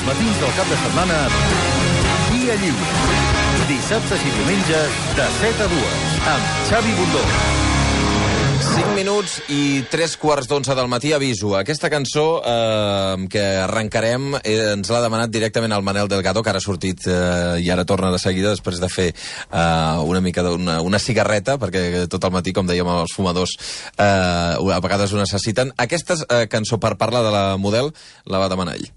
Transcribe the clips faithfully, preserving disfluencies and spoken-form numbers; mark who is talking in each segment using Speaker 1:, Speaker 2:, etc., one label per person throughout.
Speaker 1: Els matins del cap de setmana, Via Lliure. Dissabtes i diumenges, de set a dues, amb Xavi Bundó.
Speaker 2: cinc minuts i tres quarts d'onze del matí. Aviso, aquesta cançó eh, que arrencarem eh, ens l'ha demanat directament el Manel Delgado, que ara ha sortit eh, i ara torna de seguida després de fer eh, una mica d'una una cigarreta, perquè tot el matí, com dèiem, els fumadors eh, a vegades ho necessiten. Aquesta eh, cançó per parlar de la Model la va demanar ell.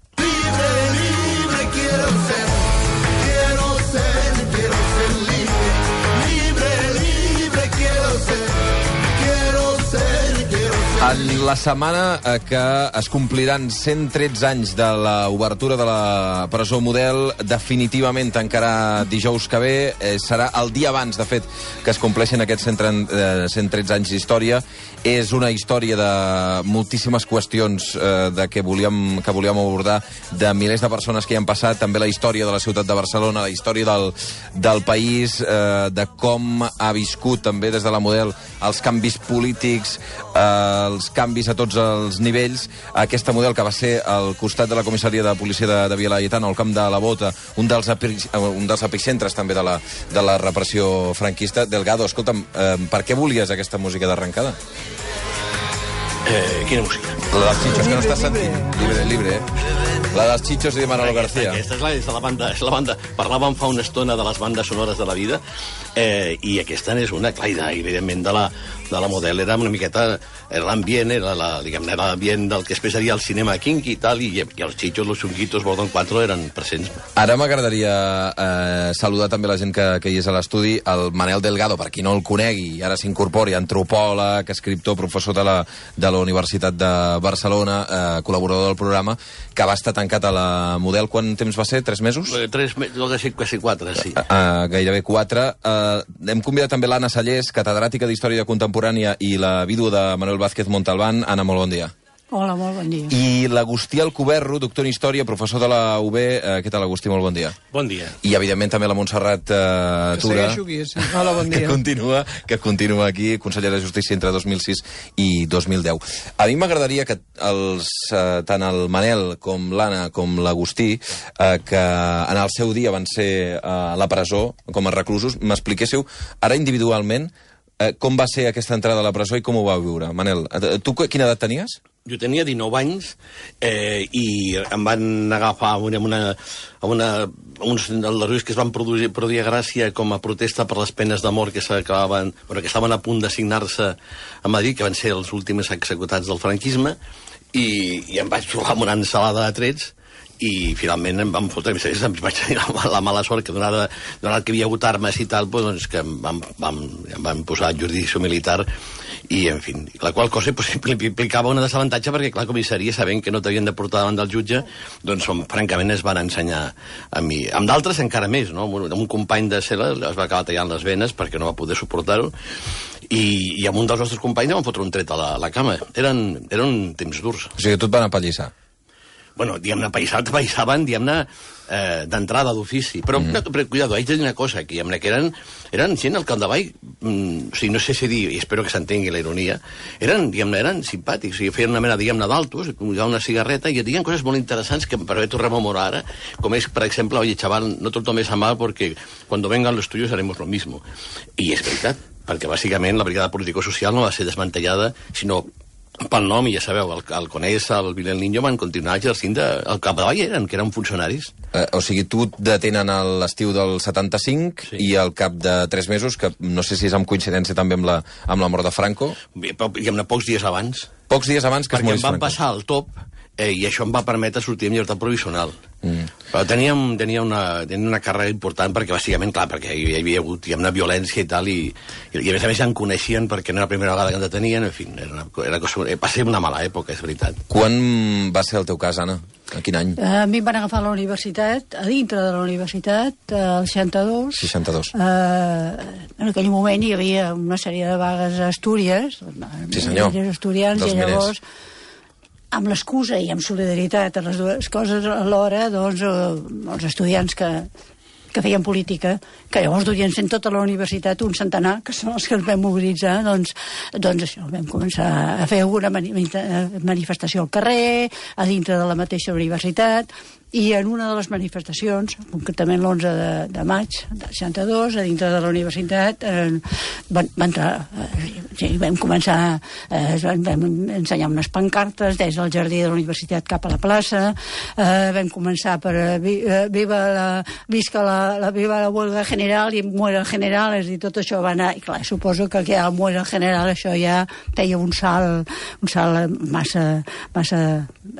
Speaker 2: En la setmana eh, que es compliran cent tretze anys de l'obertura de la presó Model, definitivament encara dijous que ve, eh, serà el dia abans, de fet, que es compleixen aquests cent tretze anys d'història. És una història de moltíssimes qüestions eh, de que volíem, que volíem abordar, de milers de persones que hi han passat, també la història de la ciutat de Barcelona, la història del, del país, eh, de com ha viscut també des de la Model els canvis polítics, eh, els canvis a tots els nivells. Aquesta Model, que va ser al costat de la comissaria de policia de, de Via Laietana, al camp de la Bota, un dels, epi, un dels epicentres també de la, de la repressió franquista. Delgado, escolta'm, eh, per què volies aquesta música d'arrencada?
Speaker 3: Eh, quina música?
Speaker 2: La dels Chichos, que no estàs sentint. Libre, libre, eh? La dels Chichos i de Manolo García.
Speaker 3: Aquesta és la, és la banda, és la banda. Parlàvem fa una estona de les bandes sonores de la vida, eh, i aquesta és una, clar, evidentment, de la, de la Model. Era una miqueta, era l'ambient, era la, diguem-ne, era l'ambient del que després seria el cinema kinky i tal, i, i els Chichos, los Chunguitos, Bordon quatre eren presents.
Speaker 2: Ara m'agradaria eh, saludar també la gent que, que hi és a l'estudi, el Manel Delgado, per qui no el conegui, ara s'incorpori, antropòleg, escriptor, professor de la, de la Universitat de Barcelona, eh, col·laborador del programa, que va estar tancat a la Model. Quant temps va ser? Tres mesos?
Speaker 3: Eh, tres mesos, no, quasi, quasi quatre, sí.
Speaker 2: Eh, eh, gairebé quatre. Eh, hem convidat també l'Anna Sallés, catedràtica d'Història Contemporània, i la vídua de Manuel Vázquez Montalbán. Anna, molt bon dia.
Speaker 4: Hola, molt bon dia.
Speaker 2: I l'Agustí Alcoberro, doctor en Història, professor de la U B. Eh, què tal, Agustí? Molt bon dia.
Speaker 5: Bon dia.
Speaker 2: I, evidentment, també la Montserrat eh, Tura,
Speaker 6: aquí, sí. Hola, bon dia.
Speaker 2: que, continua, que continua aquí, consellera de Justícia entre dos mil sis i dos mil deu. A mi m'agradaria que els, eh, tant el Manel com l'Anna com l'Agustí, eh, que en el seu dia van ser a la presó com a reclusos, m'expliquéssiu ara individualment eh, com va ser aquesta entrada a la presó i com ho vau viure. Manel, tu quina edat tenies?
Speaker 3: Jo tenia dinou anys eh, i em van agafar amb una, amb una, uns aldarulls que es van produir, produir a Gràcia com a protesta per les penes de mort que s'acabaven, bueno, que estaven a punt de signar-se a Madrid, que van ser els últims executats del franquisme, i, i em vaig trobar amb una ensalada de trets, i finalment em van fotre, em vaig tenir la, la mala sort que donada, donat que hi havia hagut armes i tal, doncs que em van, van, em van posar jurisdicció militar, i en fi, la qual cosa pues, implicava un desavantatge perquè, clar, comissaria, sabent que no t'havien de portar davant del jutge, doncs francament es van ensenyar a mi. Amb d'altres encara més, no? Amb un company de cel·la es va acabar tallant les venes perquè no va poder suportar-ho, i, i amb un dels nostres companys em van fotre un tret a la, a la cama. Eren, eren temps durs.
Speaker 2: O sigui, tu et van apallissar.
Speaker 3: Bueno, diguem-ne, païssaven, païssaven diguem-ne, eh, d'entrada d'ofici. Però, mm. però, cuidado, haig de dir una cosa, que, diguem-ne, que eren, eren gent al capdavall, mm, o sigui, no sé si dir, i espero que s'entengui la ironia, eren, diguem-ne, eren simpàtics, o sigui, feien una mena, diguem-ne, d'altos, una cigarreta, i et diuen coses molt interessants que per haver-ho rememorar ara, com és, per exemple, oye, chaval, no te lo tomes a mal porque cuando vengan los tuyos haremos lo mismo. I és veritat, perquè, bàsicament, la brigada político-social no va ser desmantellada, sinó pel nom, i ja sabeu, el, el Conés, el Vilel Niño van continuar exercint de, el capdavall eren, que eren funcionaris.
Speaker 2: Eh, o sigui, tu detenen a l'estiu del setanta-cinc, sí, i al cap de tres mesos, que no sé si és amb coincidència també amb la, amb la mort de Franco.
Speaker 3: Bé, però, diguem-ne, pocs dies abans.
Speaker 2: Pocs dies abans que es morís Franco.
Speaker 3: Perquè em van passar al top, eh, i això em va permetre sortir en llibertat provisional. Mm. Però teníem, tenia una, tenia una càrrega important perquè, bàsicament, clar, perquè hi havia hagut una violència i tal, i, i, i a més a més em coneixien perquè no era la primera vegada que em detenien, en fi, era una, era cosa, va ser una mala època, és veritat.
Speaker 2: Quan va ser el teu cas, Anna? A quin any?
Speaker 4: A mi em van agafar a la universitat, a dintre de la universitat, al seixanta-dos.
Speaker 2: seixanta-dos.
Speaker 4: Uh, en aquell moment hi havia una sèrie de vagues a Astúries.
Speaker 2: Sí, senyor.
Speaker 4: Estudiants,
Speaker 2: dels
Speaker 4: i llavors...
Speaker 2: miners.
Speaker 4: Amb l'excusa i amb solidaritat a les dues coses alhora, doncs, eh, els estudiants que, que feien política, que llavors durien sent tota la universitat un centenar, que són els que ens vam mobilitzar, doncs, doncs això, vam començar a fer alguna mani manifestació al carrer, a dintre de la mateixa universitat, i en una de les manifestacions, concretament l'onze de, de maig del seixanta-dos, a dintre de la universitat, eh, van, van entrar, eh, sí, vam començar, eh, vam, vam ensenyar unes pancartes des del jardí de la universitat cap a la plaça, eh, vam començar per eh, vi, eh, viva la, visca la, la, viva la huelga general i muera el general, és a dir, tot això va anar, i clar, suposo que ja el muera el general, això ja feia un salt, un salt massa, massa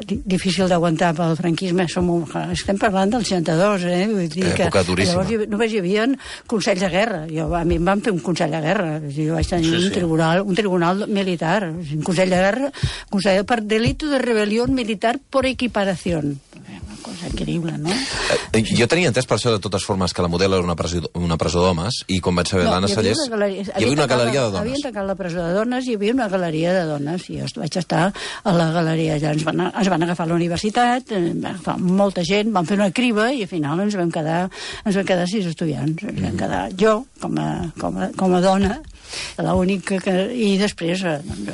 Speaker 4: difícil d'aguantar pel franquisme. Som, estem parlant del seixanta-dos, eh? Vull dir que
Speaker 2: època duríssima.
Speaker 4: Llavors només hi havia consells de guerra. Jo, a mi em van fer un consell de guerra. Jo vaig tenir sí, sí. un tribunal, un tribunal militar, un consell de guerra, consell per delito de rebel·lió militar por equiparación. Una cosa increïble, no?
Speaker 2: Eh, jo tenia entès per això, de totes formes, que la Model era una presó, una presó d'homes, i com vaig saber
Speaker 4: no,
Speaker 2: l'Anna Sallés, hi havia una galeria de dones.
Speaker 4: Havien tancat la presó de dones i hi havia una galeria de dones, i jo vaig estar a la galeria. Ja ens van, ens van agafar a la universitat, ens van agafar molta gent, van fer una criba i al final ens vam quedar, ens vam quedar sis estudiants. Ens vam quedar jo, com a, com a, com a dona, l'única que... I després, doncs,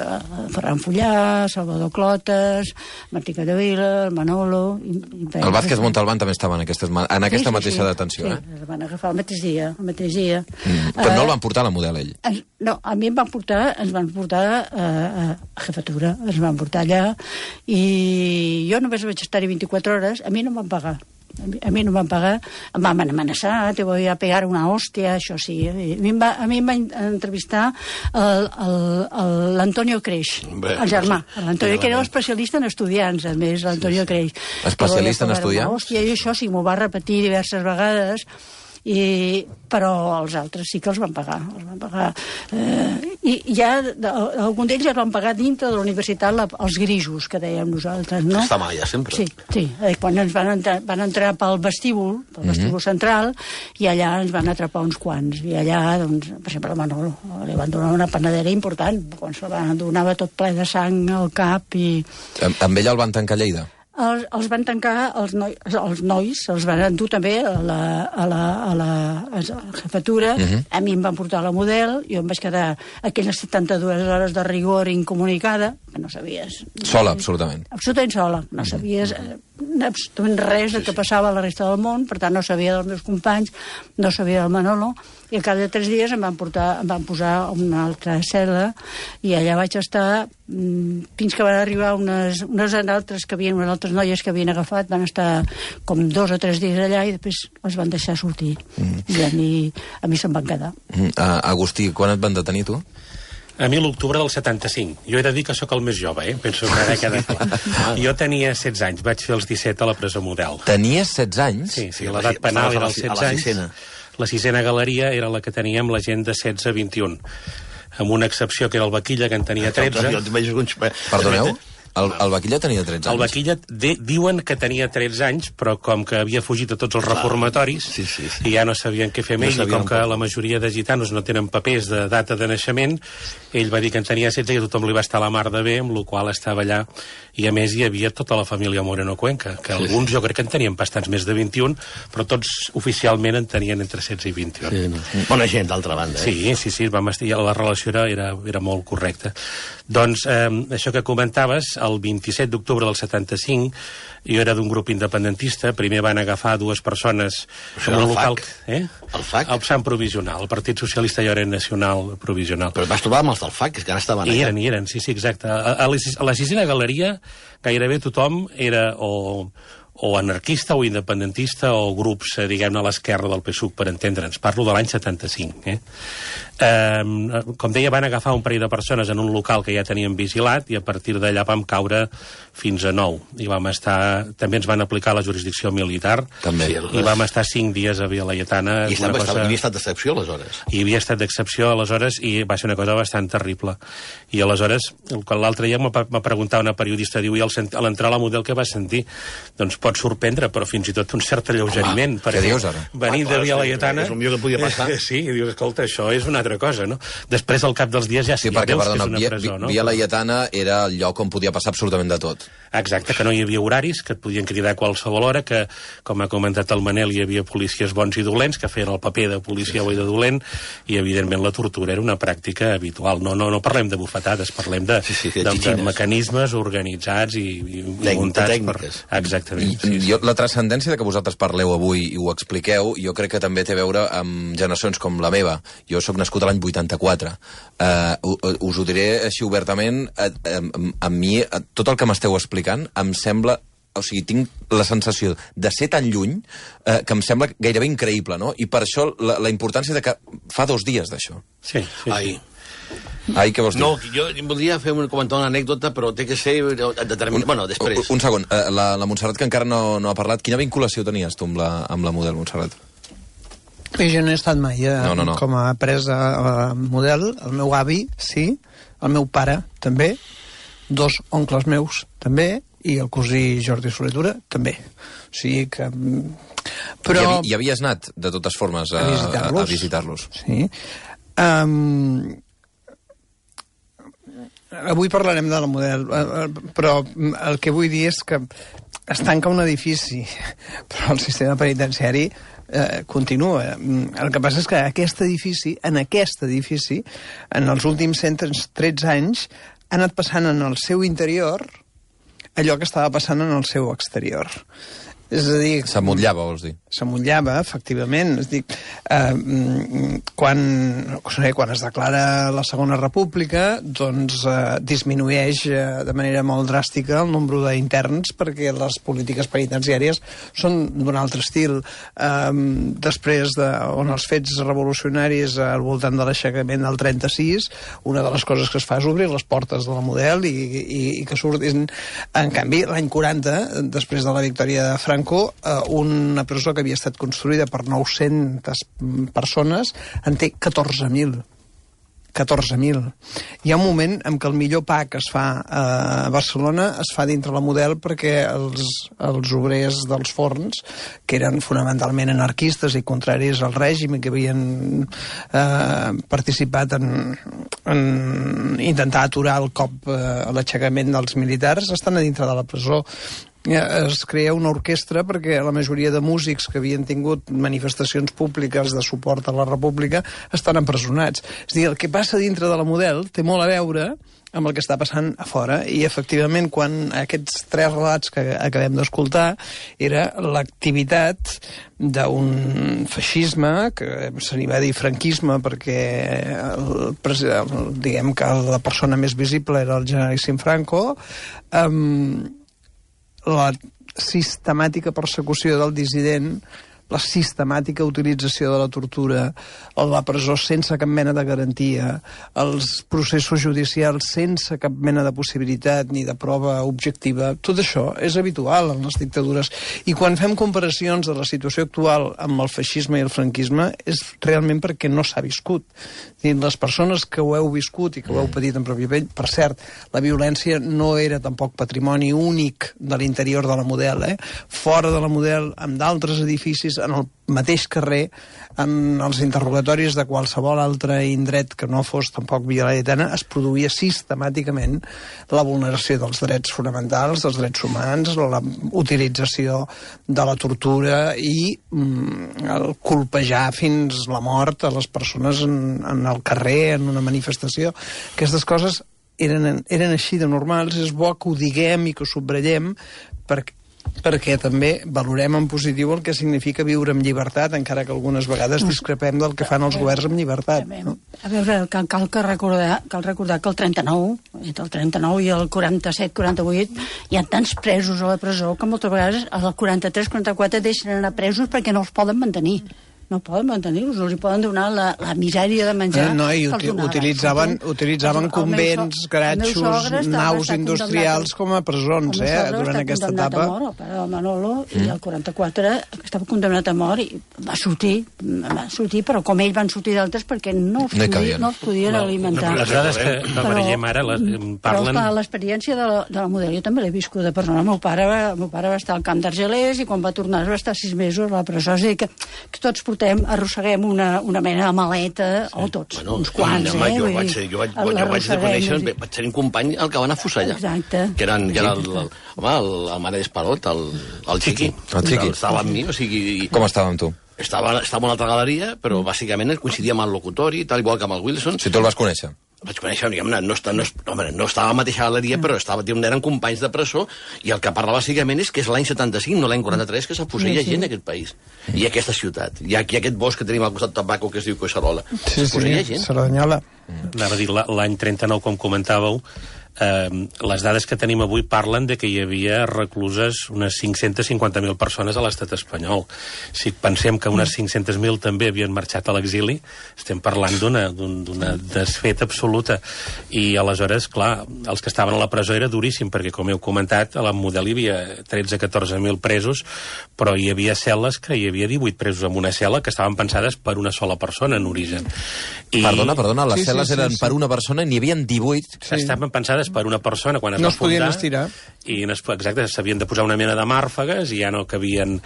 Speaker 4: Ferran Fullà, Salvador Clotes, Martí Capdevila, el Manolo... I, i
Speaker 2: el Vázquez Montalbán també estava en, aquestes, en aquesta sí, sí, mateixa
Speaker 4: sí,
Speaker 2: detenció,
Speaker 4: sí,
Speaker 2: eh?
Speaker 4: el van agafar el mateix dia, el mateix dia.
Speaker 2: Mm, però uh, no el van portar a la Model, ell?
Speaker 4: Es, no, a mi em van portar, ens van portar uh, a jefatura, ens van portar allà, i jo només vaig estar-hi vint-i-quatre hores, a mi no em van pagar. A mi, a mi no em van pagar, em van amenaçar, te voy a pegar una hòstia, això sí. A mi em va, a mi em va entrevistar l'Antonio Creix, Bé, el germà. L'Antonio, que era especialista en estudiants, a més, l'Antonio sí, sí. Creix.
Speaker 2: Especialista en estudiants?
Speaker 4: Hòstia, i això sí, m'ho va repetir diverses vegades, i, però els altres sí que els van pagar, els van pagar. Eh, i ja algun d'ells els van pagar dintre de la universitat la, els grisos que dèiem nosaltres, no?
Speaker 3: Està mal ja sempre.
Speaker 4: Sí, sí. Eh, quan ens van entrar, van entrar pel vestíbul, pel vestíbul mm-hmm. central, i allà ens van atrapar uns quants, i allà, doncs, per exemple, a Manolo li van donar una panadera important, quan se'l van donava tot ple de sang al cap i...
Speaker 2: Amb, amb ella el van tancar a Lleida?
Speaker 4: Els, els van tancar, els, noi, els nois, els van endur també a la, a la, a la, a la jefatura. Uh-huh. A mi em van portar a la Model, jo em vaig quedar aquelles setanta-dues hores de rigor incomunicada, que no sabies...
Speaker 2: Sola, absolutament.
Speaker 4: Absolutament sola. No sabies eh, absolutament res del que passava a la resta del món, per tant no sabia dels meus companys, no sabia del Manolo, i al cap de tres dies em van, portar, em van posar a una altra cel·la, i allà vaig estar mmm, fins que van arribar unes, unes altres que havien, unes altres noies que havien agafat, van estar com dos o tres dies allà i després els van deixar sortir. Mm. I a mi, a mi se'm van quedar.
Speaker 2: Mm. Uh, Agustí, quan et van detenir, tu?
Speaker 5: A mi l'octubre del setanta-cinc. Jo he de dir que sóc el més jove, eh? Penso que ara queda clar. Jo tenia setze anys, vaig fer els disset a la presó Model.
Speaker 2: Tenies setze anys?
Speaker 5: Sí, sí, l'edat penal era els setze anys. La sisena galeria era la que teníem la gent de setze a vint-i-un. Amb una excepció que era el Vaquilla, que en tenia tretze.
Speaker 2: Perdoneu? El, el Vaquilla tenia tretze anys.
Speaker 5: El Vaquilla de, diuen que tenia tretze anys, però com que havia fugit a tots els reformatoris
Speaker 3: sí, sí, sí.
Speaker 5: i ja no sabien què fer més, no i com que la majoria de gitanos no tenen papers de data de naixement, ell va dir que en tenia setze i a tothom li va estar a la mar de bé, amb la qual estava allà. I a més hi havia tota la família Moreno Cuenca, que sí, alguns sí. jo crec que en tenien bastants més de vint-i-un, però tots oficialment en tenien entre setze i vint-i-un.
Speaker 3: Sí, no. Bona gent, d'altra banda. Eh?
Speaker 5: Sí, sí, sí, vam estar, la relació era, era, era molt correcta. Doncs eh, això que comentaves, el vint-i-set d'octubre del setanta-cinc, jo era d'un grup independentista, primer van agafar dues persones
Speaker 3: en un local...
Speaker 5: Eh?
Speaker 3: El F A C?
Speaker 5: El P S A M provisional, el Partit Socialista i ara Nacional provisional.
Speaker 3: Però vas trobar amb els del F A C, que encara estaven allà.
Speaker 5: I eren, i eren, sí, sí, exacte. A, a, la, a la sisena galeria gairebé tothom era o... o anarquista o independentista o grups, eh, diguem-ne, a l'esquerra del P S U C, per entendre'ns. Parlo de l'any setanta-cinc. Eh? Eh, com deia, van agafar un parell de persones en un local que ja teníem vigilat i a partir d'allà vam caure fins a nou. I vam estar... També ens van aplicar la jurisdicció militar.
Speaker 3: També.
Speaker 5: I vam estar cinc dies a Via Laietana.
Speaker 3: I estava, cosa... hi havia estat d'excepció, aleshores.
Speaker 5: Hi havia estat d'excepció, aleshores, i va ser una cosa bastant terrible. I aleshores, l'altre dia m'ha preguntat una periodista, diu, i a l'entrar a la Model què vas sentir? Doncs pot sorprendre, però fins i tot un cert alleugeriment.
Speaker 2: Home, què dius ara?
Speaker 5: Venint de Via Laietana...
Speaker 3: És el millor que podia passar.
Speaker 5: Eh, sí, i dius, escolta, això és una altra cosa, no? Després, al cap dels dies, ja
Speaker 2: sí, perquè,
Speaker 5: veus
Speaker 2: perdona,
Speaker 5: que és una
Speaker 2: Via,
Speaker 5: presó, no?
Speaker 2: Via Laietana era el lloc on podia passar absolutament de tot.
Speaker 5: Exacte, que no hi havia horaris, que et podien cridar a qualsevol hora, que, com ha comentat el Manel, hi havia policies bons i dolents, que feien el paper de policia o de dolent, i, evidentment, la tortura era una pràctica habitual. No, no, no parlem de bufetades, parlem de, sí, sí, de, de, de mecanismes organitzats i, i
Speaker 3: Tec
Speaker 5: muntats
Speaker 3: tècniques.
Speaker 5: Per... Exactament.
Speaker 2: sí, jo, la transcendència de que vosaltres parleu avui i ho expliqueu, jo crec que també té a veure amb generacions com la meva. Jo sóc nascut a l'any vuitanta-quatre. Uh, us ho diré així obertament, a, a, a mi tot el que m'esteu explicant em sembla... O sigui, tinc la sensació de ser tan lluny eh, que em sembla gairebé increïble, no? I per això la, la importància de que fa dos dies d'això.
Speaker 5: Sí, sí,
Speaker 3: Ai.
Speaker 5: sí.
Speaker 2: Ai, què vols dir?
Speaker 3: No, jo voldria fer un comentar una anècdota, però té que ser determinat. Bueno, després.
Speaker 2: Un, un segon, uh, la, la Montserrat, que encara no, no ha parlat, quina vinculació tenies tu amb la, amb la model, Montserrat?
Speaker 6: I jo no he estat mai eh,
Speaker 2: no, no, no.
Speaker 6: com a presa uh, model. El meu avi, sí, el meu pare, també, dos oncles meus, també, i el cosí Jordi Soletura, també. O sigui que... Però...
Speaker 2: I, havi, I havies anat, de totes formes, a, a visitar-los. A visitar-los.
Speaker 6: Sí. Um, avui parlarem de la model, però el que vull dir és que es tanca un edifici, però el sistema penitenciari eh, continua. El que passa és que aquest edifici, en aquest edifici, en els últims cent tretze anys, ha anat passant en el seu interior allò que estava passant en el seu exterior. És a dir...
Speaker 2: S'amotllava, vols dir?
Speaker 6: S'amotllava, efectivament. És a dir, eh, quan, no sé, quan es declara la Segona República, doncs eh, disminueix eh, de manera molt dràstica el nombre d'interns perquè les polítiques penitenciàries són d'un altre estil. Eh, després de, on els fets revolucionaris al voltant de l'aixecament del trenta-sis, una de les coses que es fa és obrir les portes de la model i, i, i que surtin... En canvi, l'any quaranta, després de la victòria de Franco, una presó que havia estat construïda per nou-centes persones en té catorze mil. catorze mil. Hi ha un moment en què el millor pa que es fa a Barcelona es fa dintre la model perquè els, els obrers dels forns, que eren fonamentalment anarquistes i contraris al règim i que havien eh, participat en, en intentar aturar el cop eh, a l'aixecament dels militars, estan a dintre de la presó. Es crea una orquestra perquè la majoria de músics que havien tingut manifestacions públiques de suport a la República estan empresonats. És a dir, el que passa dintre de la model té molt a veure amb el que està passant a fora, i efectivament quan aquests tres relats que acabem d'escoltar era l'activitat d'un feixisme, que se n'hi va dir franquisme perquè el, el, diguem que la persona més visible era el generalíssim Franco, amb la sistemàtica persecució del dissident, la sistemàtica utilització de la tortura, la presó sense cap mena de garantia, els processos judicials sense cap mena de possibilitat ni de prova objectiva, tot això és habitual en les dictadures. I quan fem comparacions de la situació actual amb el feixisme i el franquisme és realment perquè no s'ha viscut. Les persones que ho heu viscut i que ho heu patit en pròpia pell, per cert, la violència no era tampoc patrimoni únic de l'interior de la model, eh? Fora de la model, amb d'altres edificis, en el mateix carrer, en els interrogatoris de qualsevol altre indret que no fos tampoc Via Laietana, es produïa sistemàticament la vulneració dels drets fonamentals, dels drets humans, la utilització de la tortura i mm, el colpejar fins la mort a les persones en, en el carrer, en una manifestació. Aquestes coses eren, eren així de normals. És bo que ho diguem i que ho subratllem perquè perquè també valorem en positiu el que significa viure amb llibertat, encara que algunes vegades discrepem del que fan els governs amb llibertat. No?
Speaker 4: A veure, cal, cal, que recordar, cal recordar que el trenta-nou, entre el trenta-nou i el quaranta-set quaranta-vuit, hi ha tants presos a la presó que moltes vegades al quaranta-tres quaranta-quatre deixen anar presos perquè no els poden mantenir. No poden mantenir-los, els hi poden donar la, la misèria de menjar.
Speaker 6: No, i uti utilitzaven, utilitzaven convents, garatxos, naus industrials com a presons, eh, durant aquesta etapa.
Speaker 4: Mort, el pare del Manolo, mm. i el quaranta-quatre estava condemnat a mort i va sortir, va sortir, però com ells van sortir d'altres perquè no els, no podia, no els podien no, alimentar.
Speaker 5: Les dades que no apareixem ara les, parlen...
Speaker 4: Però l'experiència de, la, de la model jo també l'he viscut de persona. El meu pare, va, el meu pare va estar al camp d'Argelers i quan va tornar va estar sis mesos a la presó. És a dir, que, que tots portem, arrosseguem una, una mena de maleta, sí. O tots, bueno, uns quants,
Speaker 3: home,
Speaker 4: eh?
Speaker 3: Jo vaig, ser, jo vaig, jo vaig de conèixer, i... vaig tenir un company el que van afusellar.
Speaker 4: Exacte.
Speaker 3: Que, eren, que era el, el, home, el, el mare d'Esparot, el, el Chiqui.
Speaker 2: El Chiqui.
Speaker 3: Estava amb mi, o sigui... I...
Speaker 2: Com estava amb tu?
Speaker 3: Estava, estava a una altra galeria, però bàsicament coincidia amb el locutori, tal igual que amb el Wilson.
Speaker 2: Si tu el vas conèixer.
Speaker 3: vaig conèixer, diguem-ne, no, no, no, no estava a la mateixa galeria, però estava, eren companys de presó, i el que parla bàsicament és que és l'any setanta-cinc, no l'any quaranta-tres, que s'afusella sí, sí. gent en aquest país. I aquesta ciutat. Hi ha aquí aquest bosc que tenim al costat de Tabaco, que es diu Collserola.
Speaker 6: Sí, sí, gent. Cerdanyola.
Speaker 5: Anava a dir, l'any trenta-nou, com comentàveu, eh, les dades que tenim avui parlen de que hi havia recluses unes cinc-centes cinquanta mil persones a l'estat espanyol. Si pensem que unes cinc-centes mil també havien marxat a l'exili, estem parlant d'una d'una desfeta absoluta. I aleshores, clar, els que estaven a la presó era duríssim, perquè, com heu comentat, a la Model hi havia tretze a catorze mil presos, però hi havia cel·les que hi havia divuit presos en una cel·la que estaven pensades per una sola persona en origen. I...
Speaker 2: Perdona, perdona, les
Speaker 6: sí,
Speaker 2: cel·les
Speaker 6: sí, sí,
Speaker 2: eren
Speaker 6: sí.
Speaker 2: per una persona i n'hi havia divuit.
Speaker 5: Sí. Estaven pensades per una persona quan es
Speaker 6: no
Speaker 5: va fundar.
Speaker 6: No es podien estirar.
Speaker 5: I, exacte, s'havien de posar una mena de màrfegues i ja no cabien.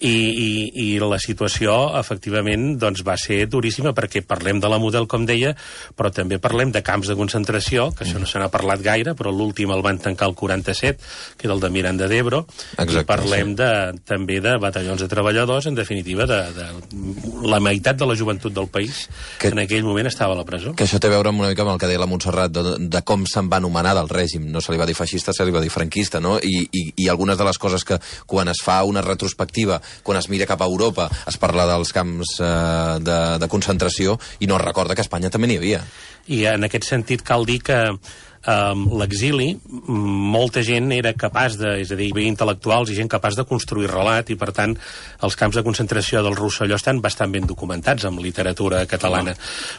Speaker 5: I, i, i la situació, efectivament, doncs va ser duríssima, perquè parlem de la Model, com deia, però també parlem de camps de concentració, que això no se n'ha parlat gaire, però l'últim el van tancar el quaranta-set, que era el de Miranda d'Ebro. Exacte, i parlem sí. de, també de batallons de treballadors, en definitiva, de, de la meitat de la joventut del país, que en aquell moment estava a la presó.
Speaker 2: Que això té a veure una mica amb el que deia la Montserrat, de, de com se'n va anomenar del règim. No se li va dir feixista, se li va dir franquista, no? I, i, i algunes de les coses que, quan es fa una retrospectiva, quan es mira cap a Europa, es parla dels camps eh, de, de concentració i no es recorda que a Espanya també n'hi havia.
Speaker 5: I en aquest sentit cal dir que Um, l'exili, molta gent era capaç de, és a dir, hi havia intel·lectuals i gent capaç de construir relat, i per tant els camps de concentració del Rosselló estan bastant ben documentats amb literatura catalana,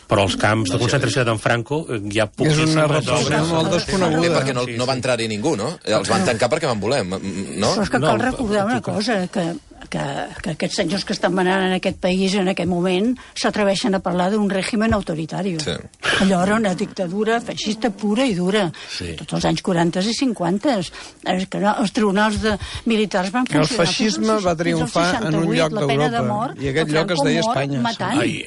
Speaker 5: però els camps de concentració d'en Franco hi ha poquíssimes
Speaker 6: és una repressió molt desconeguda.
Speaker 2: Bé, perquè no, no va entrar-hi ningú, no? Els van tancar perquè van voler, no?
Speaker 4: Però és que cal recordar una cosa, que Que, que aquests senyors que estan manant en aquest país en aquest moment s'atreveixen a parlar d'un règim autoritari. Sí. Allò era una dictadura feixista pura i dura. Sí. Tots els anys quaranta i cinquanta. És que no, els tribunals de, militars van funcionar.
Speaker 6: El feixisme va triomfar en un lloc d'Europa. I aquest lloc es deia Espanya.
Speaker 2: Ai,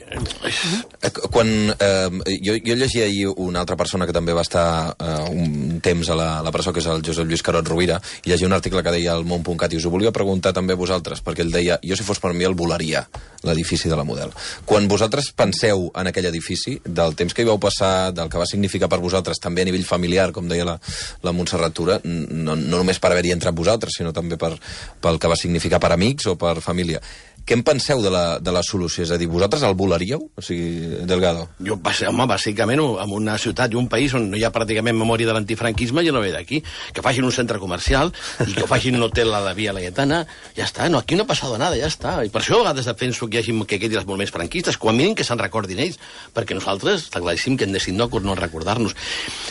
Speaker 2: quan, eh, jo, jo llegia ahir una altra persona que també va estar eh, un temps a la, a la presó, que és el Josep Lluís Carot Rovira, i llegia un article que deia al món punt cat, i us ho volia preguntar també a vosaltres, perquè ell deia, jo si fos per mi el volaria, l'edifici de la Model. Quan vosaltres penseu en aquell edifici, del temps que hi vau passar, del que va significar per vosaltres, també a nivell familiar, com deia la, la Montserrat Tura, no, no només per haver-hi entrat vosaltres, sinó també per, pel que va significar per amics o per família. Què en penseu de la, de la solució? És a dir, vosaltres el volaríeu? O sigui, Delgado.
Speaker 3: Jo, home, bàsicament, en una ciutat i un país on no hi ha pràcticament memòria de l'antifranquisme, jo no ve d'aquí. Que facin un centre comercial i que facin un hotel a la Via Laietana, ja està. No, aquí no ha passat nada, ja està. I per això a vegades defenso que hi hagi que quedi els moviments franquistes, com a mínim que se'n recordin ells, perquè nosaltres està claríssim que hem decidit no, no recordar-nos.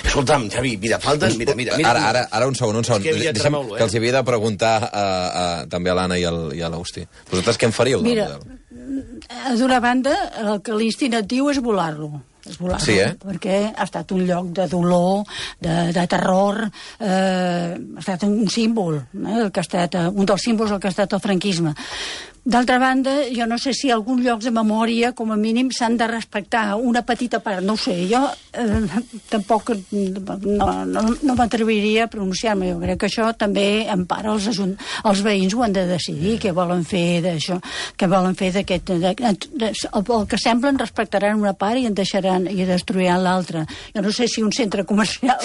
Speaker 3: Escolta'm, Xavi, mira, falten... Mira, mira, mira,
Speaker 2: ara, ara, ara un segon, un segon. Que, Deixem, eh? que els havia de preguntar a, a, també a l'Anna i, al, i a l'Agustí. Vosaltres què en faríeu?
Speaker 4: Mira, d'una banda, el que l'instinctiu és volar-lo. És volar-lo,
Speaker 2: sí, eh?
Speaker 4: perquè ha estat un lloc de dolor, de, de terror, eh, ha estat un símbol, eh, el que ha estat, un dels símbols del que ha estat el franquisme. D'altra banda, jo no sé si alguns llocs de memòria, com a mínim, s'han de respectar una petita part, no ho sé, jo eh, tampoc no, no, no m'atreviria a pronunciar-me, jo crec que això també empara els, ajunt... els veïns ho han de decidir, què volen fer d'això, què volen fer d'aquest... De, de, de, el, el que semblen respectaran una part i en deixaran i destruiran l'altra. Jo no sé si un centre comercial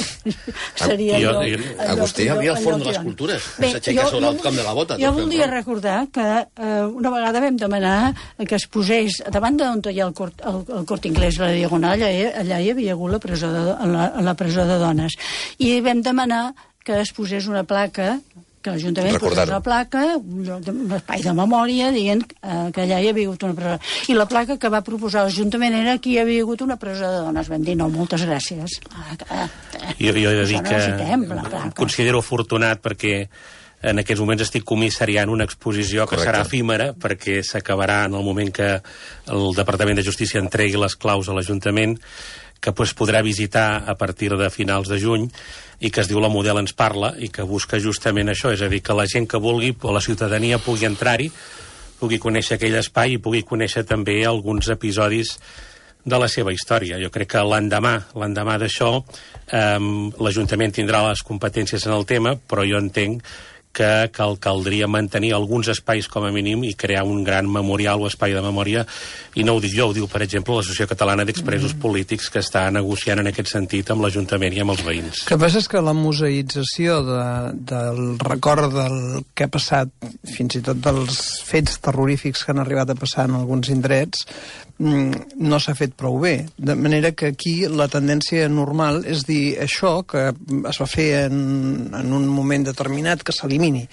Speaker 4: seria...
Speaker 5: Jo,
Speaker 4: allò, allò,
Speaker 3: Agustí,
Speaker 4: allò,
Speaker 3: havia el forn
Speaker 4: allò,
Speaker 3: de les cultures,
Speaker 4: Bé,
Speaker 3: s'aixeca
Speaker 4: jo,
Speaker 3: sobre
Speaker 4: jo,
Speaker 3: el camp de la bota.
Speaker 4: Jo voldria recordar que eh, una vegada vam demanar que es posés davant d'on hi ha el Cort, el, el Cort Inglès, la Diagonal, allà, allà hi havia hagut la presó de, la, la presó de dones, i vam demanar que es posés una placa, que l'Ajuntament posés una placa, un, lloc de, un espai de memòria, dient eh, que allà hi havia hagut una presó. I la placa que va proposar l'Ajuntament era que hi havia hagut una presó de dones. Vam dir, no, moltes gràcies. Ah, eh,
Speaker 5: jo, jo he de dir que
Speaker 4: em
Speaker 5: considero afortunat perquè en aquests moments estic comissariant una exposició que Correcte. serà efímera, perquè s'acabarà en el moment que el Departament de Justícia entregui les claus a l'Ajuntament, que pues, podrà visitar a partir de finals de juny, i que es diu La Model ens parla, i que busca justament això, és a dir, que la gent que vulgui, o la ciutadania pugui entrar-hi, pugui conèixer aquell espai i pugui conèixer també alguns episodis de la seva història. Jo crec que l'endemà, l'endemà d'això, eh, l'Ajuntament tindrà les competències en el tema, però jo entenc que cal, caldria mantenir alguns espais com a mínim i crear un gran memorial o espai de memòria, i no ho dic jo, ho diu, per exemple, l'Associació Catalana d'Expresos mm. Polítics, que està negociant en aquest sentit amb l'Ajuntament i amb els veïns.
Speaker 6: El que passa és que la museïtzació de, del record del que ha passat, fins i tot dels fets terrorífics que han arribat a passar en alguns indrets, no s'ha fet prou bé. De manera que aquí la tendència normal és dir això que es va fer en, en un moment determinat, que s'elimini.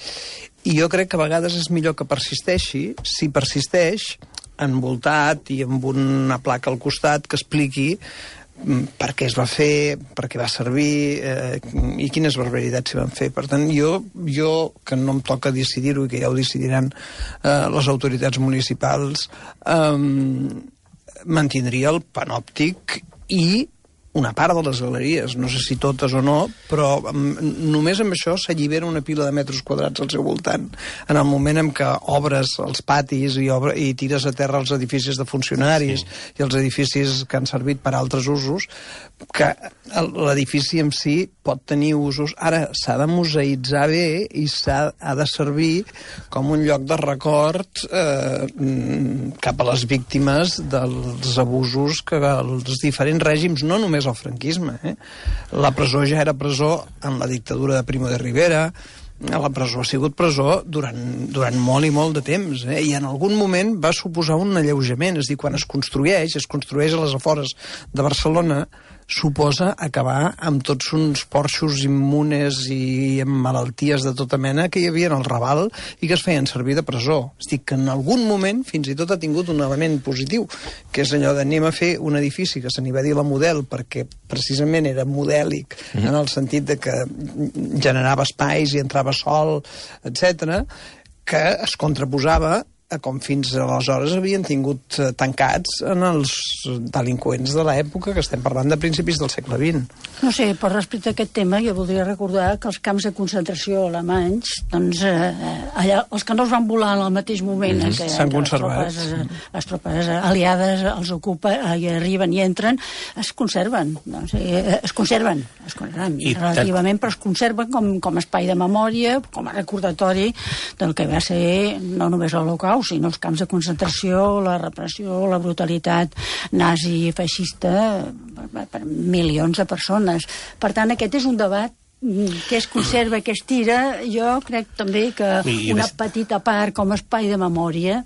Speaker 6: I jo crec que a vegades és millor que persisteixi, si persisteix, envoltat i amb una placa al costat que expliqui per què es va fer, per què va servir eh, i quines barbaritats s'hi van fer. Per tant, jo, jo que no em toca decidir-ho i que ja ho decidiran eh, les autoritats municipals, eh, mantindria el panòptic i una part de les galeries, no sé si totes o no, però només amb això s'allibera una pila de metres quadrats al seu voltant. En el moment en què obres els patis i, obre, i tires a terra els edificis de funcionaris sí. i els edificis que han servit per a altres usos, que l'edifici en si pot tenir usos. Ara, s'ha de museïtzar bé i s'ha ha de servir com un lloc de record eh, cap a les víctimes dels abusos que els diferents règims, no només el franquisme, eh? La presó ja era presó en la dictadura de Primo de Rivera, la presó ha sigut presó durant, durant molt i molt de temps, eh? I en algun moment va suposar un alleujament, és a dir, quan es construeix, es construeix a les afores de Barcelona, suposa acabar amb tots uns porxos immunes i amb malalties de tota mena que hi havia al Raval i que es feien servir de presó. És dir, que en algun moment fins i tot ha tingut un element positiu, que és allò d'anem a fer un edifici que se n'hi va dir la Model perquè precisament era modèlic mm-hmm. en el sentit de que generava espais i entrava sol, etcètera, que es contraposava a com fins aleshores havien tingut eh, tancats en els delinqüents de l'època, que estem parlant de principis del segle vint.
Speaker 4: No sé, per respecte a aquest tema, jo voldria recordar que els camps de concentració alemanys, doncs, eh, allà, els que no els van volar en el mateix moment mm-hmm. que,
Speaker 6: s'han
Speaker 4: que
Speaker 6: conservat.
Speaker 4: Les tropes, les tropes aliades els ocupen, i arriben i entren, es conserven. Doncs, eh, es conserven, es conserven I relativament, però es conserven com, com espai de memòria, com a recordatori del que va ser no només l'Holocaust, sinó els camps de concentració, la repressió, la brutalitat nazi i feixista per, per milions de persones. Per tant, aquest és un debat que es conserva, que es tira. Jo crec també que una petita part com a espai de memòria.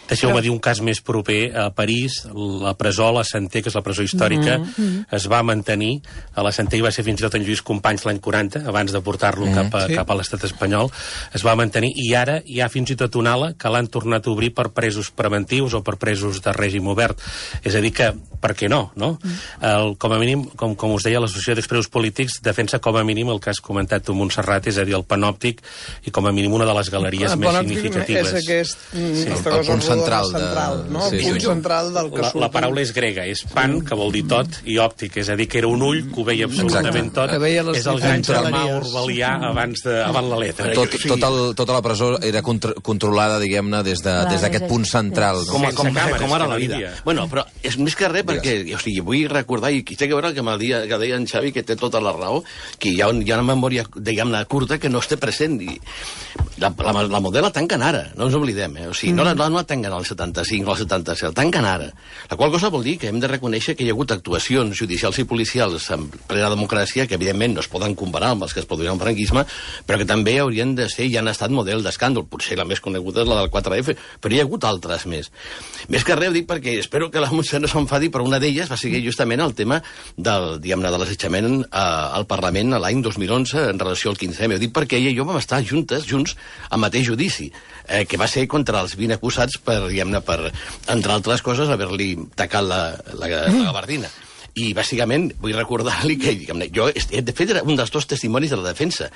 Speaker 5: Deixeu-me dir un cas més proper. A París, la presó, la Santé, que és la presó històrica, mm-hmm. es va mantenir. A la Santé hi va ser fins i tot en Lluís Companys l'any quaranta, abans de portar-lo mm, cap, a, sí. cap a l'estat espanyol. Es va mantenir, i ara hi ha fins i tot una ala que l'han tornat a obrir per presos preventius o per presos de règim obert. És a dir que, per què no? no? Mm. El, com a mínim, com, com us deia, l'Associació d'Expresos Polítics defensa com a mínim el que has comentat tu, Montserrat, és a dir, el panòptic, i com a mínim una de les galeries
Speaker 6: el
Speaker 5: més significatives.
Speaker 6: És aquest,
Speaker 2: sí. el, el punt central,
Speaker 6: central
Speaker 2: de...
Speaker 6: no?
Speaker 2: sí,
Speaker 6: el punt
Speaker 2: sí.
Speaker 6: central del que
Speaker 5: la,
Speaker 6: surt.
Speaker 5: la paraula és grega, és pan, que vol dir tot, i òptic, és a dir, que era un ull que ho veia absolutament tot. És el gran germà orwellià abans, de, abans la letra.
Speaker 2: Tot, tot el, tota la presó era contra, controlada, diguem-ne, des d'aquest de, punt central. No?
Speaker 3: Com, com,
Speaker 5: càmeres,
Speaker 3: com ara la vida. Bueno, però és més que res perquè, o sigui, vull recordar, i té que veure que, dia, que deia en Xavi, que té tota la raó, que hi ha, un, hi ha una memòria, diguem-ne, curta que no es té present. I la, la, la Model la tanquen ara, no ens oblidem, eh? O sigui, no, la, no la tanquen al setanta-cinc o al setanta-set, la tanquen ara. La qual cosa vol dir que hem de reconèixer que hi ha hagut actuacions judicials i policials en plena democràcia que, evidentment, no es poden comparar amb els que es produïen al franquisme, però que també haurien de ser i han estat model d'escàndol. Potser la més coneguda és la del quatre efe, però hi ha hagut altres més. Més que res, ho dic perquè espero que la Montse no s'enfadi, però una d'elles va ser justament el tema del, diguem-ne, de l'assetjament al Parlament l'any dos mil onze en relació al quinze eme. Ho dic perquè ella i jo vam estar juntes, junts, al mateix judici, eh, que va ser contra els vint acusats per, diguem-ne, per, entre altres coses, haver-li tacat la, la, la gabardina. I, bàsicament, vull recordar-li que, diguem-ne, jo, de fet, era un dels dos testimonis de la defensa.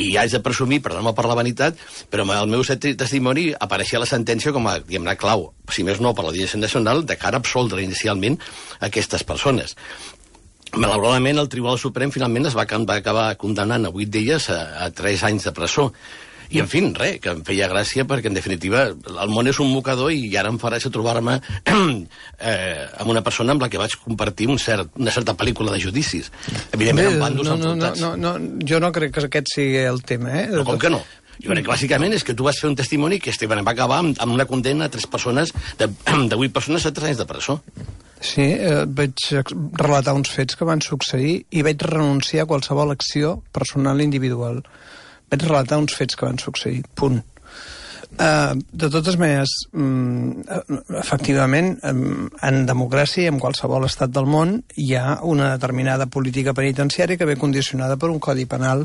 Speaker 3: I ja haig de presumir, perdó-me per la vanitat, però el meu testimoni apareixia a la sentència com a, diguem-ne, clau, si més no per l'Audiència Nacional, de cara a absoldre inicialment aquestes persones. Malauradament, el Tribunal Suprem finalment es va, va acabar condemnant a vuit d'elles a, a tres anys de presó. I, en fi, res, que em feia gràcia perquè, en definitiva, el món és un mocador i ara em farà trobar-me eh, amb una persona amb la que vaig compartir un cert, una certa pel·lícula de judicis. Evidentment, amb bàndols
Speaker 6: no, no,
Speaker 3: enfrontats.
Speaker 6: No, no, no, jo no crec que aquest sigui el tema, eh?
Speaker 3: Però com que no? Jo crec que bàsicament és que tu vas fer un testimoni que Esteban va acabar amb, amb una condemna a tres persones, de, de vuit persones a tres anys de presó.
Speaker 6: Sí, eh, vaig relatar uns fets que van succeir i vaig renunciar a qualsevol acció personal individual. Vaig relatar uns fets que van succeir, punt. Uh, de totes maneres, um, efectivament, um, en democràcia, en qualsevol estat del món, hi ha una determinada política penitenciària que ve condicionada per un codi penal.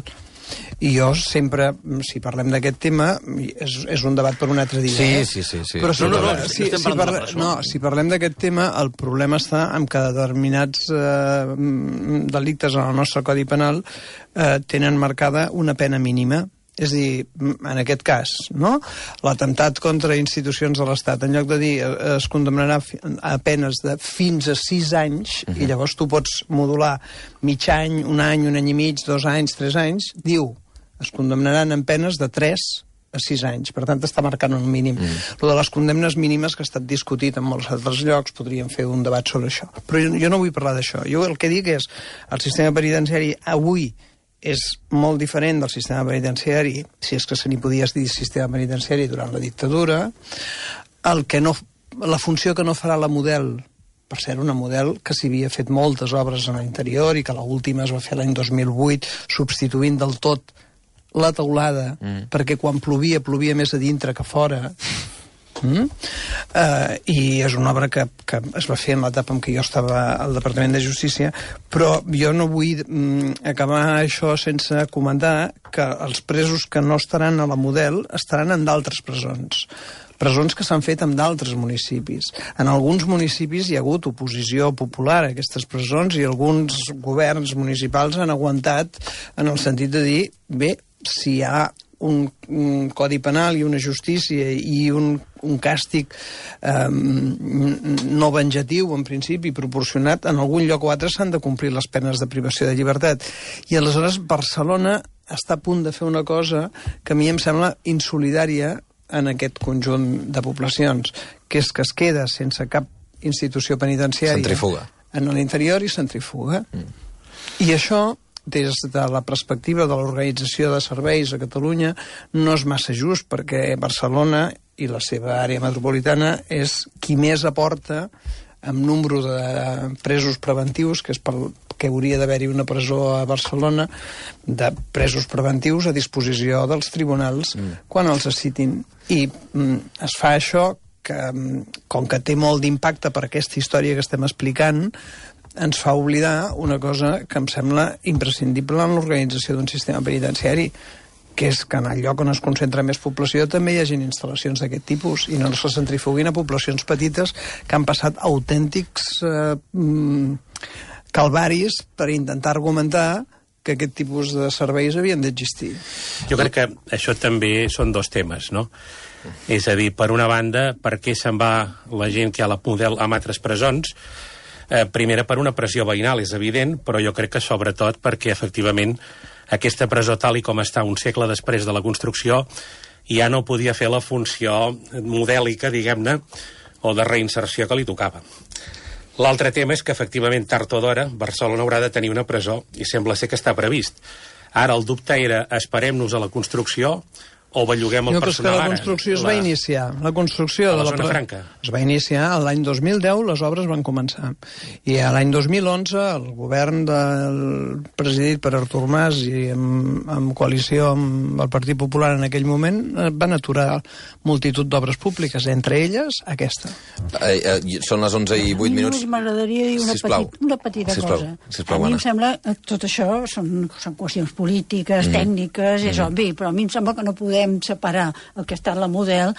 Speaker 6: I jo sempre, si parlem d'aquest tema, és, és un debat per un altre dia.
Speaker 2: Sí,
Speaker 6: eh?
Speaker 2: sí, sí, sí.
Speaker 6: Però si,
Speaker 3: no, no, no,
Speaker 6: parla,
Speaker 3: no,
Speaker 6: si,
Speaker 3: estem
Speaker 6: si,
Speaker 3: parlant de
Speaker 6: parla,
Speaker 3: la presó.
Speaker 6: no, si parlem d'aquest tema, el problema està en que determinats eh, delictes en el nostre codi penal eh, tenen marcada una pena mínima. És a dir, en aquest cas, no? L'atemptat contra institucions de l'Estat, en lloc de dir es condemnarà a penes de fins a sis anys, uh-huh. i llavors tu pots modular mig any, un any, un any i mig, dos anys, tres anys, diu, es condemnaran en penes de tres a sis anys. Per tant, està marcant un mínim. Mm. Lo de les condemnes mínimes, que ha estat discutit en molts altres llocs, podríem fer un debat sobre això. Però jo, jo no vull parlar d'això. Jo el que dic és, el sistema penitenciari avui és molt diferent del sistema penitenciari, si és que se n'hi podia dir sistema penitenciari durant la dictadura. El que no, la funció que no farà la Model, per ser una Model que s'hi havia fet moltes obres en l'interior i que l'última es va fer l'any dos mil vuit, substituint del tot la teulada, mm. perquè quan plovia, plovia més a dintre que a fora. Mm? Uh, i és una obra que, que es va fer en l'etapa en què jo estava al Departament de Justícia, però jo no vull mm, acabar això sense comentar que els presos que no estaran a la Model estaran en d'altres presons. Presons que s'han fet en d'altres municipis. En alguns municipis hi ha hagut oposició popular a aquestes presons i alguns governs municipals han aguantat en el sentit de dir, bé, si hi ha un, un codi penal i una justícia i un, un càstig eh, no venjatiu, en principi, proporcionat, en algun lloc o altre s'han de complir les penes de privació de llibertat. I aleshores Barcelona està a punt de fer una cosa que a mi em sembla insolidària en aquest conjunt de poblacions, que és que es queda sense cap institució penitenciària.
Speaker 2: Centrifuga.
Speaker 6: En l'interior i centrifuga. Mm. I això, des de la perspectiva de l'organització de serveis a Catalunya, no és massa just, perquè Barcelona i la seva àrea metropolitana és qui més aporta amb número de presos preventius, que és pel que hauria d'haver-hi una presó a Barcelona, de presos preventius a disposició dels tribunals mm. quan els citin. I mm, es fa això que, com que té molt d'impacte per aquesta història que estem explicant, ens fa oblidar una cosa que em sembla imprescindible en l'organització d'un sistema penitenciari, que és que en el lloc on es concentra més població també hi hagi instal·lacions d'aquest tipus i no se centrifuguin a poblacions petites que han passat autèntics eh, calvaris per intentar argumentar que aquest tipus de serveis havien d'existir.
Speaker 5: Jo crec que això també són dos temes, no? És a dir, per una banda, per què se'n va la gent que ha la Model a altres presons? Eh, primera, per una pressió veïnal, és evident, però jo crec que sobretot perquè, efectivament, aquesta presó, tal i com està un segle després de la construcció, ja no podia fer la funció modèlica, diguem-ne, o de reinserció que li tocava. L'altre tema és que, efectivament, tard o d'hora, Barcelona haurà de tenir una presó, i sembla ser que està previst. Ara, el dubte era, esperem-nos a la construcció o belluguem el
Speaker 6: no,
Speaker 5: personal ara.
Speaker 6: La construcció es
Speaker 5: la...
Speaker 6: va iniciar. La construcció
Speaker 5: a la
Speaker 6: de la
Speaker 5: zona franca.
Speaker 6: Es va iniciar l'any dos mil deu, les obres van començar. I a l'any dos mil onze, el govern del presidit per Artur Mas i en, en coalició amb el Partit Popular en aquell moment van aturar multitud d'obres públiques, entre elles aquesta.
Speaker 2: Eh, eh, són les onze i vuit minuts.
Speaker 4: M'agradaria dir una, petit, una petita
Speaker 2: sisplau.
Speaker 4: cosa.
Speaker 2: Sisplau,
Speaker 4: a mi
Speaker 2: Anna.
Speaker 4: em sembla que tot això són, són qüestions polítiques, mm. tècniques, és mm. obvi, però a mi em sembla que no podem separar el que ha estat la Model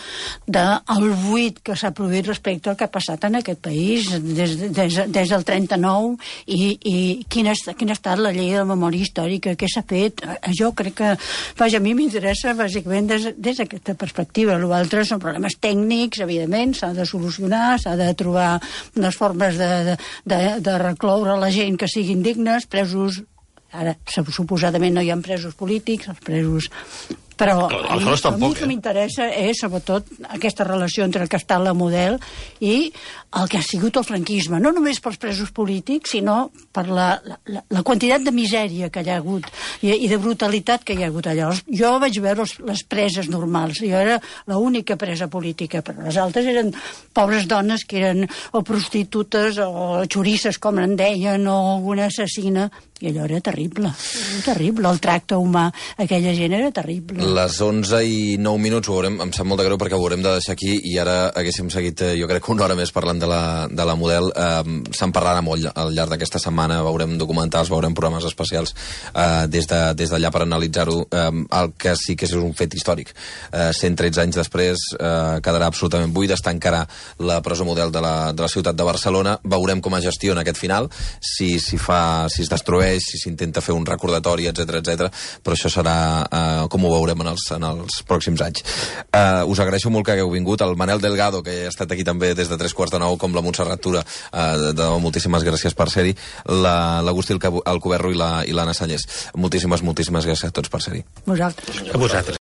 Speaker 4: del buit que s'ha produït respecte al que ha passat en aquest país des, des, des del trenta-nou i, i quina, quina ha estat la llei de la memòria històrica, què s'ha fet. Jo crec que, vaja, a mi m'interessa bàsicament des, des d'aquesta perspectiva. L'altre són problemes tècnics, evidentment, s'ha de solucionar, s'ha de trobar unes formes de, de, de, de recloure la gent que siguin dignes, presos. Ara, suposadament no hi ha presos polítics, els presos Però
Speaker 3: Aleshores,
Speaker 4: a mi, a mi
Speaker 3: tampoc,
Speaker 4: el que
Speaker 3: eh?
Speaker 4: m'interessa és, sobretot, aquesta relació entre el que està la Model i el que ha sigut el franquisme. No només pels presos polítics, sinó per la, la, la quantitat de misèria que hi ha hagut i, i de brutalitat que hi ha hagut allà. Jo vaig veure les, les preses normals. Jo era l'única presa política, però les altres eren pobres dones que eren o prostitutes o xorisses, com en deien, o una assassina. I allò era terrible, era terrible. El tracte humà, aquella gent era terrible.
Speaker 2: Les onze i nou minuts, ho haurem, em sap molt de greu perquè ho haurem de deixar aquí i ara haguéssim seguit, eh, jo crec que una hora més parlant de la, de la Model. Eh, se'n parlarà molt al llarg d'aquesta setmana, veurem documentals, veurem programes especials eh, des d'allà de, des per analitzar-ho. Eh, el que sí que és un fet històric. Eh, cent tretze anys després eh, quedarà absolutament buida, es tancarà la presó Model de la, de la ciutat de Barcelona. Veurem com es gestiona aquest final, si, si, fa, si es destrueix, si s'intenta fer un recordatori, etcètera, etcètera, però això serà uh, com ho veurem en els, en els pròxims anys. Uh, us agraeixo molt que hagueu vingut. El Manel Delgado, que ha estat aquí també des de tres quarts de nou, com la Montserrat Tura, uh, de, de, moltíssimes gràcies per ser-hi, l'Agustí la, Alcoberro i l'Anna la, i Sallés. Moltíssimes, moltíssimes gràcies a tots per ser-hi.
Speaker 4: Vosaltres.
Speaker 5: A vosaltres.